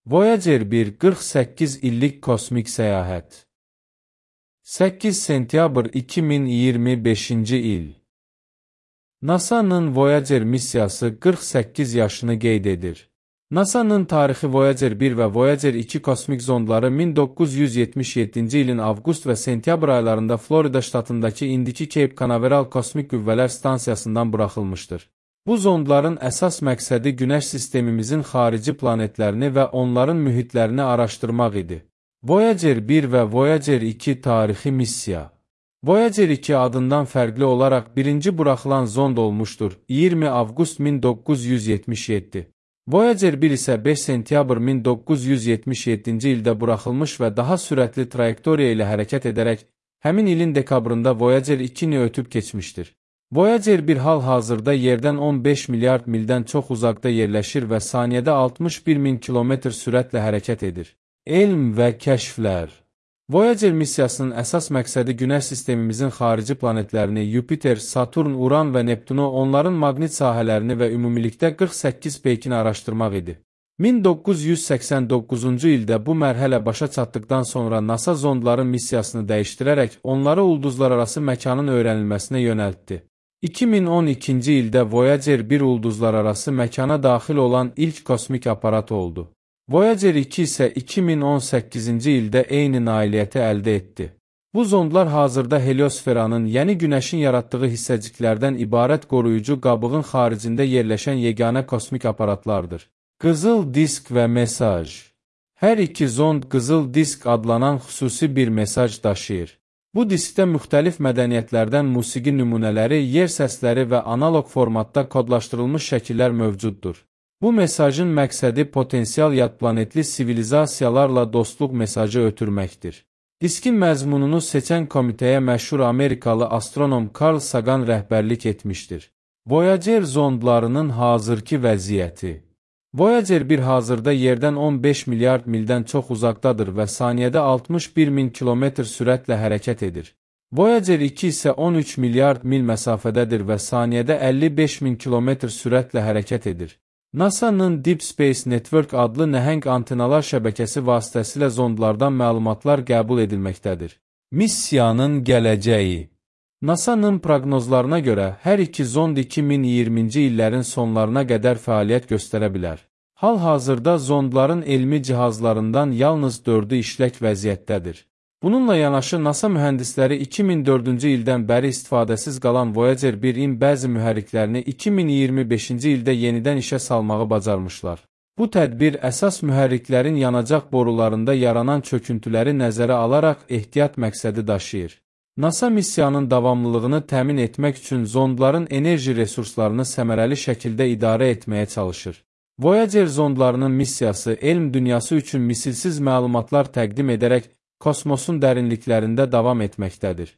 Voyager 1 48 illik kosmik səyahət. 8 sentyabr 2025-ci il. NASA-nın Voyager missiyası 48 yaşını qeyd edir. NASA-nın tarixi Voyager 1 və Voyager 2 kosmik zondları 1977-ci ilin avqust və sentyabr aylarında Florida ştatındakı indiki Cape Canaveral Kosmik Qüvvələr Stansiyasından buraxılmışdır. Bu zondların əsas məqsədi Günəş sistemimizin xarici planetlərini və onların mühitlərini araşdırmaq idi. Voyager 1 və Voyager 2 tarixi missiya. Voyager 2 adından fərqli olaraq birinci buraxılan zond olmuşdur, 20 avqust 1977. Voyager 1 isə 5 sentyabr 1977-ci ildə buraxılmış və daha sürətli trayektoriya ilə hərəkət edərək, həmin ilin dekabrında Voyager 2-ni ötüb keçmişdir. Voyager 1 hal-hazırda yerdən 15 milyard mildən çox uzaqda yerləşir və saniyədə 61 min kilometr sürətlə hərəkət edir. Elm və kəşflər. Voyager missiyasının əsas məqsədi Günəş sistemimizin xarici planetlərini Yupiter, Saturn, Uran və Neptunu, onların maqnit sahələrini və ümumilikdə 48 peykini araşdırmaq idi. 1989-cu ildə bu mərhələ başa çatdıqdan sonra NASA zondların missiyasını dəyişdirərək onları ulduzlararası məkanın öyrənilməsinə yönəltdi. 2012-ci ildə Voyager 1 ulduzlararası məkana daxil olan ilk kosmik aparat oldu. Voyager 2 isə 2018-ci ildə eyni nailiyyəti əldə etdi. Bu zondlar hazırda heliosferanın, yəni Günəşin yaratdığı hissəciklərdən ibarət qoruyucu qabığın xaricində yerləşən yeganə kosmik aparatlardır. Qızıl disk və mesaj. Hər iki zond qızıl disk adlanan xüsusi bir mesaj daşıyır. Bu diskdə müxtəlif mədəniyyətlərdən musiqi nümunələri, yer səsləri və analoq formatda kodlaşdırılmış şəkillər mövcuddur. Bu mesajın məqsədi potensial yadplanetli sivilizasiyalarla dostluq mesajı ötürməkdir. Diskin məzmununu seçən komitəyə məşhur Amerikalı astronom Carl Sagan rəhbərlik etmişdir. Voyager zondlarının hazırki vəziyyəti. Voyager 1 hazırda yerdən 15 milyard mildən çox uzaqdadır və saniyədə 61 min kilometr sürətlə hərəkət edir. Voyager 2 isə 13 milyard mil məsafədədir və saniyədə 55 min kilometr sürətlə hərəkət edir. NASA-nın Deep Space Network adlı nəhəng antenalar şəbəkəsi vasitəsilə zondlardan məlumatlar qəbul edilməkdədir. Missiyanın gələcəyi. NASA-nın proqnozlarına görə hər iki zond 2020-ci illərin sonlarına qədər fəaliyyət göstərə bilər. Hal-hazırda zondların elmi cihazlarından yalnız 4-ü işlək vəziyyətdədir. Bununla yanaşı NASA mühəndisləri 2004-cü ildən bəri istifadəsiz qalan Voyager 1-in bəzi mühərriklərini 2025-ci ildə yenidən işə salmağı bacarmışlar. Bu tədbir əsas mühərriklərin yanacaq borularında yaranan çöküntüləri nəzərə alaraq ehtiyat məqsədi daşıyır. NASA missiyanın davamlılığını təmin etmək üçün zondların enerji resurslarını səmərəli şəkildə idarə etməyə çalışır. Voyager zondlarının missiyası elm dünyası üçün misilsiz məlumatlar təqdim edərək kosmosun dərinliklərində davam etməkdədir.